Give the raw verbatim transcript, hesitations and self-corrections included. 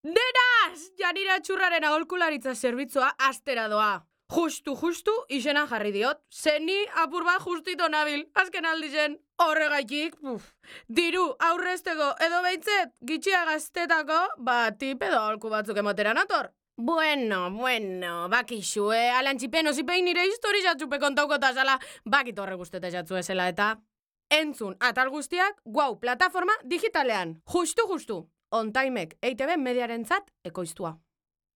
Denaz! Janira txurraren aholkularitza zerbitzua astera doa. Justu, justu, izena jarri diot. Zeni apur bat justito nabil, azken aldizen. Horregaitik, puf, diru aurrezteko edo behintzet, gitxia gaztetako, ba, tip edo aholku batzuk emotera nator. Bueno, bueno, bakixue, alantxipen ozipein nire histori jatzupe kontauko tazala, bakit horre guztete jatzu ezela eta. Entzun, atal guztiak, guau, plataforma digitalean. Justu, justu. On Timek E I T B mediarentzat ekoiztua.